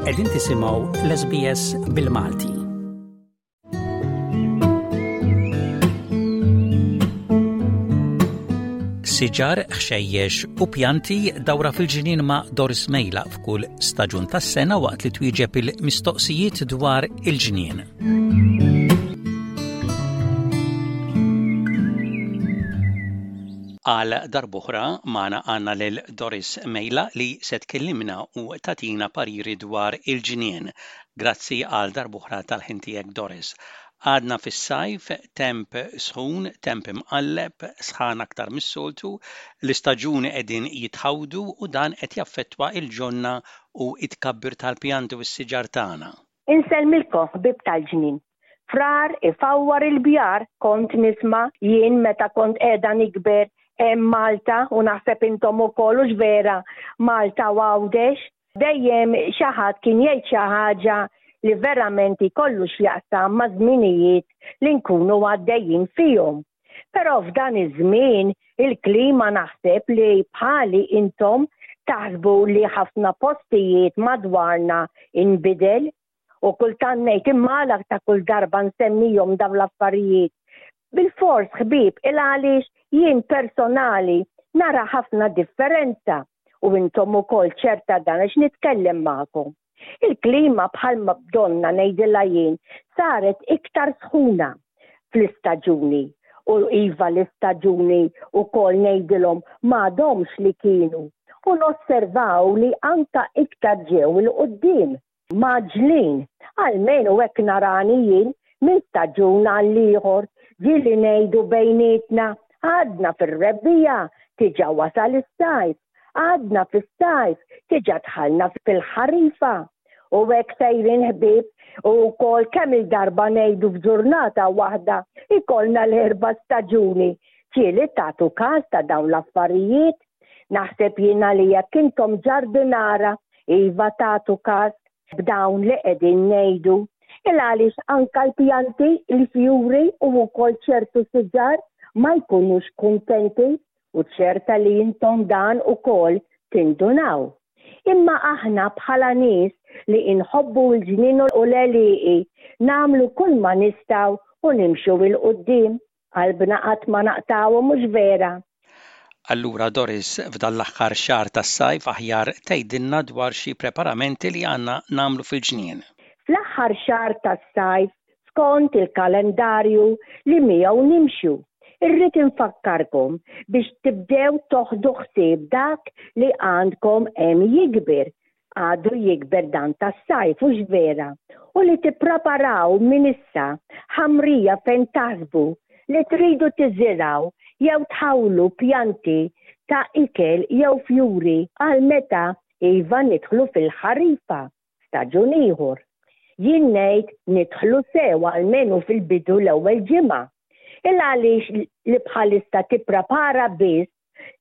Qegħdin tisimgħu l-SBS bil-Malti. Siġar, ħxejjex u pjanti dawra fil-ġnien ma' Doris Mejla f'kull staġun tas-sena waqt li twieġeb il-mistoqsijiet dwar il-ġnien. Għal darb'oħra magħna għandna lil Doris Mejla li se tkellimna u tagħtina pariri dwar il-ġnien. Grazzi għal darb'oħra tal-ħin tiegħek Doris. Għadna fis-sajf, temp sħun, temp imqalleb, sħana aktar mis-soltu, l-istaġuni qegħdin jitħawdu u dan qed jaffettwa l-ġonna u t-tkabbir tal-pjanti u s-siġar tagħna. Insellmilkom ħbieb tal-ġnien. Frar ifawwar il-bjar kont nisma' jien meta kont qiegħda nikber hemm Malta u naħseb intom ukoll hux vera Malta u Għawdex. Dejjem xi ħadd kien jgħid xi ħaġa li verament jkollu x'jaqsam maż-żminijiet li nkunu għaddejjin fihom. Però f'dan iż-żmien il-klima naħseb li bħali intom taħsbu li ħafna postijiet madwarna inbidel u kultant ngħid imma għala ta' kull darba nsemmihom dawn l-affarijiet. Bilfors ħbieb il għaliex jien personali nara ħafna differenza u intom ukoll ċerta dan għax nitkellem magħkom. Il-klima bħalma bdonna ngħidilha jien saret iktar sħuna fl-istaġuni u iva l-istaġuni wkoll ngħidilhom m'għadhomx li kienu u nosservaw li anka iktar ġew 'il quddiem. Mgħaġġlin, almenu hekk narani jien minn staġun għall-ieħor, ġieli ngħidu bejnietna, għadna fir-rebbiegħa, diġà wasal is-sajf, għadna fis-sajf, diġà dħalna fil-ħarifa. U hekk sejrin ħbieb u wkoll kemm-il darba ngħidu f'ġurnata waħda jkollna l-erba' staġuni. Ġieli tagħtu każ ta' dawn l-affarijiet? Naħseb jiena li jekk intom ġardinara iva tagħtu każ b'dawn li qegħdin ngħidu. Il għaliex anka l-pjanti, il-fjuri u wkoll ċertu siġar ma jkunux kuntenti u ċerta li intom dan ukoll tindunaw. Imma aħna bħala nies li inħobbu l-ġnien u l-għelieqi nagħmlu kull ma nistgħu u nimxu 'l quddiem. Qalbna qatt ma naqtgħuhom mhux vera? Allura Doris, f'dan l-aħħar xahar tas-sajf aħjar tgħidilna dwar xi preparamenti li għandna nagħmlu fil-ġnien. Fl-aħħar xahar tas-sajf, skont il-kalendarju li miegħu nimxu, irrid infakkarkom biex tibdew toħdu ħsieb dak li għandkom hemm jikber Għadu jikber dan tas-sajf, hux vera? U li tippreparaw minn issa ħamrija fejn taħsbu li tridu tiżirgħu jew tħawlu pjanti ta' ikel jew fjuri għal meta iva nidħlu fil-ħarifa, staġun ieħor. Jien ngħid nidħlu sew almenu fil-bidu l-ewwel ġimgħa. Il għaliex li bħalissa tipprepara biss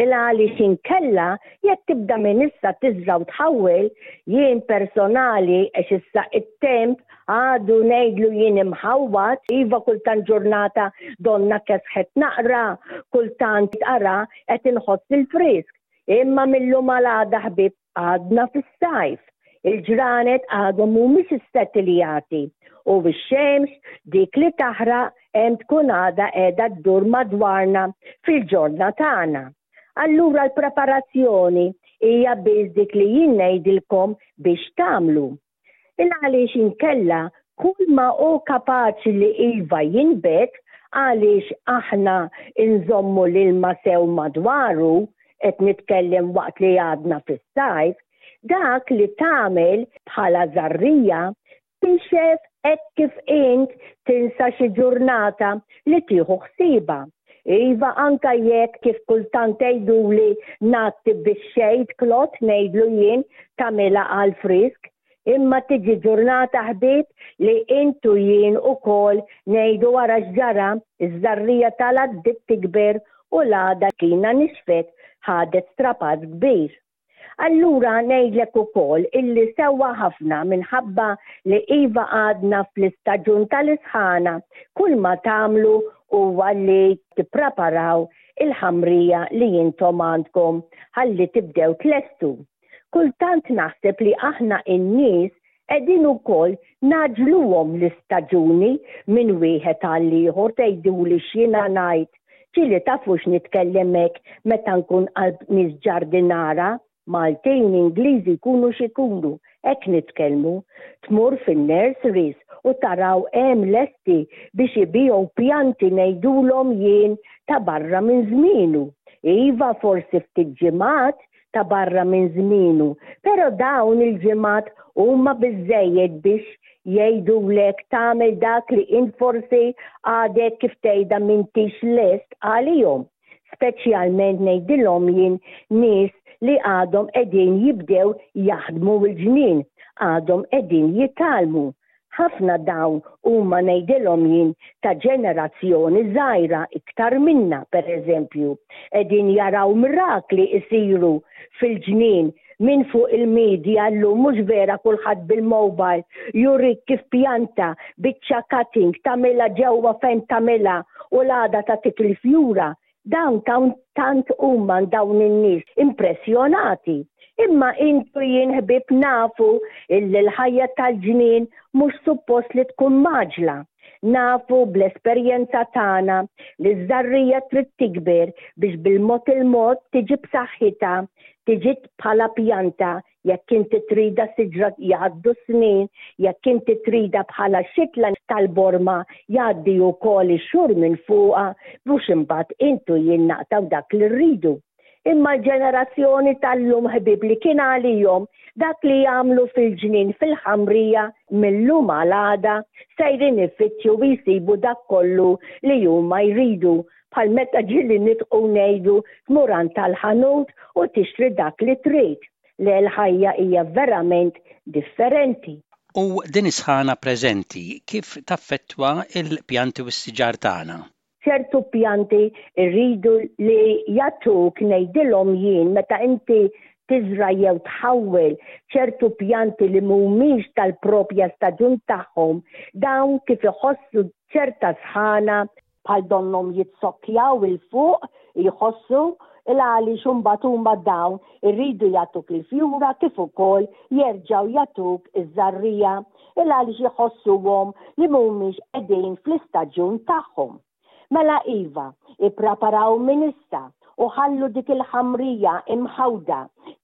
Il għaliex inkella jekk tibda minn issa tiżra' u tħawwel, jien personali għax issa it-temp għadu ngħidlu jien imħawwad, iva kultant ġurnata donnha kesħet naqra, kultant ara qed inħoss il-frisk. Imma mil-lum għal għada ħbieb Għadna fis-sajf, il-ġranet għadhom mhumiex issettiljati u x-xemx dik li taħraq hemm tkun għadha qiegħda ddur madwarna fil-ġorna tagħna. Allura l-preparazzjoni hija biss dik li jien ngħidilkom biex tagħmlu. Il għaliex inkella kull ma hu kapaċi li iva jinbet għaliex aħna nżommu l-ilma sew madwaru, qed nitkellem waqt li għadna fis-sajf, dak li tagħmel bħala żarrija tinxef hekk kif int tinsa xi ġurnata li tieħu ħsiebha. Iva anka jekk kif kultant tgħiduli ngħatti bix-shade cloth ngħidlu jien tagħmilha għall-frisk, imma tiġi ġurnata ħbieb li int u jien ukoll ngħidu ara x'ġara, iż-żarrija telgħet bdiet tikber u l-għada kina nixfet ħadet strapazz kbir. Allura ngħidlek ukoll illi sewwa ħafna minħabba li iva għadna fl-istaġun tal-isħana kulma tagħmlu huwa li tippreparaw il-ħamrija li intom għandkom ħalli tibdew tlestu. Kultant naħseb li aħna in-nies. Qegħdin ukoll ngħaġġluhom l-istaġuni minn wieħed għall-ieħor tgħiduli x'jiena ngħid, ġieli tafux nitkellem hekk meta nkun qalb nies ġardinara, Maltin, Ingliżi jkunu x'ikunu, hekk nitkellmu. Tmur fin-nurseries u taraw hemm lesti biex ibigħu pjanti ngħidulhom jien ta' barra minn żmienu. Iva forsi ftit ġimgħat ta' barra minn żmienu, però dawn il-ġimgħat huma biżżejjed biex jgħidulek tagħmel dak li int forsi għadek kif tgħidha m'intix lest għalihom. Speċjalment ngħidilhom jien nies li għadhom qegħdin jibdew jaħdmu l-ġnien, għadhom qegħdin jitgħallmu. Ħafna dawn huma ngħidilhom jien ta' ġenerazzjoni żgħira iktar minna, pereżempju, qegħdin jaraw mirakli jsiru fil-ġnien minn fuq il-media llum mhux vera kulħadd bil-mobile jurik kif pjanta biċċa cutting tagħmilha ġewwa fejn tagħmilha u l-għada tagħtik il-fjura. Dawn tant huma dawn in-nies impressjonati. Imma int u jien ħbieb nafu illi l-ħajja tal-ġnien mhux suppost li tkun mgħaġġla. Nafu bl-esperjenza tagħna li ż-żarrija trid tikber biex bil-mod il-mod tiġi b'saħħitha, tiġi bħala pjanta Jekk inti tridha siġra jgħaddu s-snin, jekk inti tridha bħala xitla tal-borma jgħaddi wkoll ix-xhur minn fuqha biex imbagħad int u jien naqtgħu dak li rridu. Imma l-ġenerazzjoni tal-lum ħbieb li kien għalihom dak li jagħmlu fil-ġnien fil-ħamrija mil-lum għal għada sejrin ifittxu u jsibu dak kollu li huma jridu bħal meta ġieli nidħqu ngħidu tmur għand tal-ħanut u tixtri dak li trid. Le l-ħajja hija verament differenti. U din is-sħana preżenti kif taffettwa l-pjanti u s-siġar tagħna? Ċertu pjanti rridu li jagħtuk ngħidilhom jien meta inti tiżra' jew tħawwel ċertu pjanti li mhumiex tal-propja staġun tagħhom, dawn kif iħossu ċerta sħana, bħal donnhom jitsokkjaw 'il fuq, jħossu, il għaliex imbagħad huma dawn irridu jagħtuk il-fjura kif ukoll jerġgħu jagħtuk iż-żarrija, il għaliex iħossuhom li mhumiex qegħdin fl-istaġun tagħhom. Mela iva, ippreparaw minn issa u ħallu dik il-ħamrija imħawda,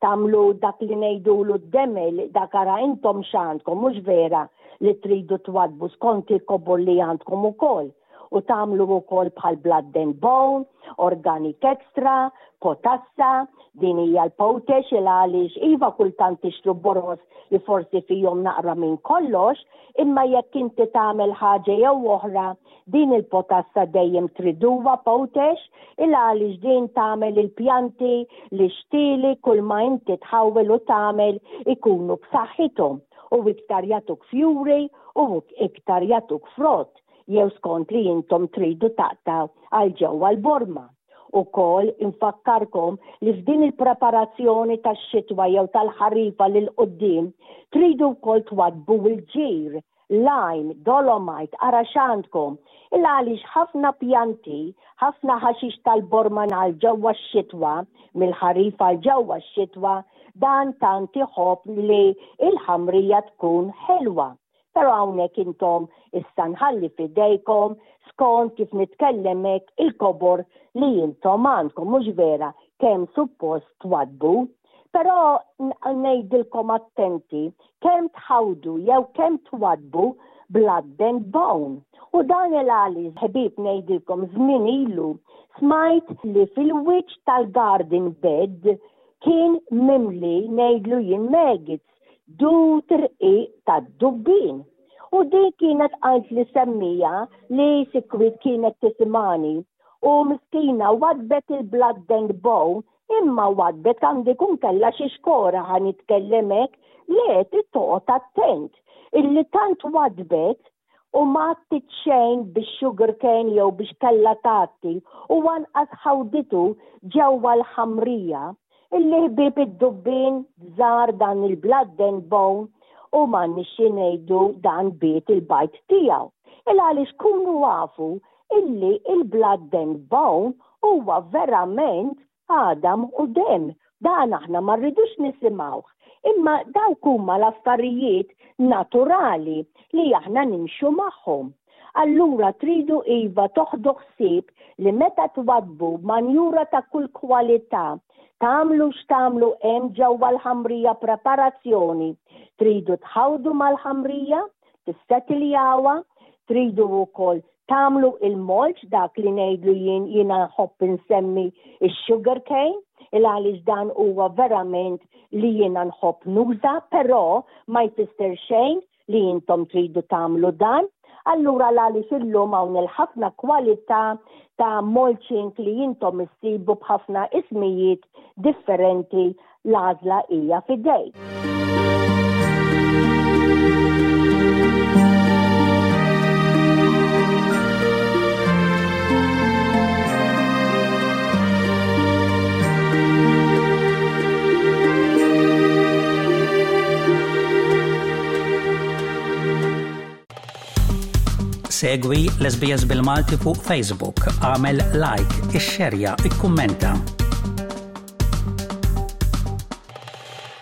tagħmlu dak li ngħidulu d-demel, dak ara intom x'għandkom mhux vera li tridu twaddbu skont il-kobor li għandkom ukoll u tagħmlu wkoll bħal blood and bone, organic extra, potassa, din hija l-potash il għaliex iva kultant tixtru boroż li forsi fihom naqra minn kollox, imma jekk inti tagħmel ħaġa jew oħra Din il-potassa dejjem triduha potash il għaliex din tagħmel il-pjanti li xtieli kull ma inti tħawwel u tagħmel ikunu b'saħħithom u iktar jagħtuk fjuri u iktar jagħtuk frott jew skont li intom tridu taqtgħu għal ġewwa l-borma. Ukoll infakkarkom li f'din il-preparazzjoni tax-xitwa jew tal-ħarifa lil quddiem tridu wkoll twaddbu l-ġir lime, dolomite, ara x'għandkom. Il għaliex ħafna pjanti, ħafna ħaxix tal-borman għal ġewwa x-xitwa, mill-ħarif għal ġewwa x-xitwa, dan tant iħobb li l-ħamrija tkun ħelwa. Però hawnhekk intom issa nħalli f'idejkom skont kif nitkellem hekk il-kobor li intom għandkom, mhux vera kemm suppost twaddbu. Però ngħidilkom attenti kemm tħawdu jew kemm twaddbu blood and bone. U dan il-għaliex ħbieb ngħidilkom żmien ilu smajt li fil-wiċċ tal-garden bed kien mimli ngħidlu jien maggots, dud irqiq tad-dubbien. U din kienet qaltli semmija li sikwit kienet tisimgħani u miskina waddbet il-blood and bone Imma waddbet għandu jkun kellha xi xkora ħa nitkellem hekk, le trid toqgħod attent illi tant waddbet u ma għattiet xejn bix-sugar cane jew biex kellha tgħatti u anqas ħawditu ġewwa l-ħamrija illi ħbieb id-dubbien żar dan il-blood and bone u m'għandniex xi ngħidu dan biet il-bajd tiegħu. Il għaliex kunu afu illi il-blood and bone huwa verament għadam u demm. Dan aħna ma rridux nisimgħuh. Imma dawk huma l-affarijiet naturali li aħna nimxu magħhom. Allura tridu iva toħdu ħsieb li meta twaddbu manjura ta' kull kwalità, tagħmlu x'tagħmlu hemm ġewwa l-ħamrija preparazzjoni, tridu tħawdu mal-ħamrija, tissettiljawha, tridu wkoll tagħmlu il-mulch dak li ngħidlu jien jiena nħobb insemmi x-sugar cane, il għaliex dan huwa verament li jiena nħobb nuża, però ma jfisser xejn li intom tridu tagħmlu dan. Allura l-għaliex illum hawn il-ħafna kwalità ta' mulching li intom issibu b'ħafna ismijiet differenti l-għażla hija f'idejk. Segwi l-SBS bil-Malti fuq Facebook, għamel like, ixxerja, ikkummenta.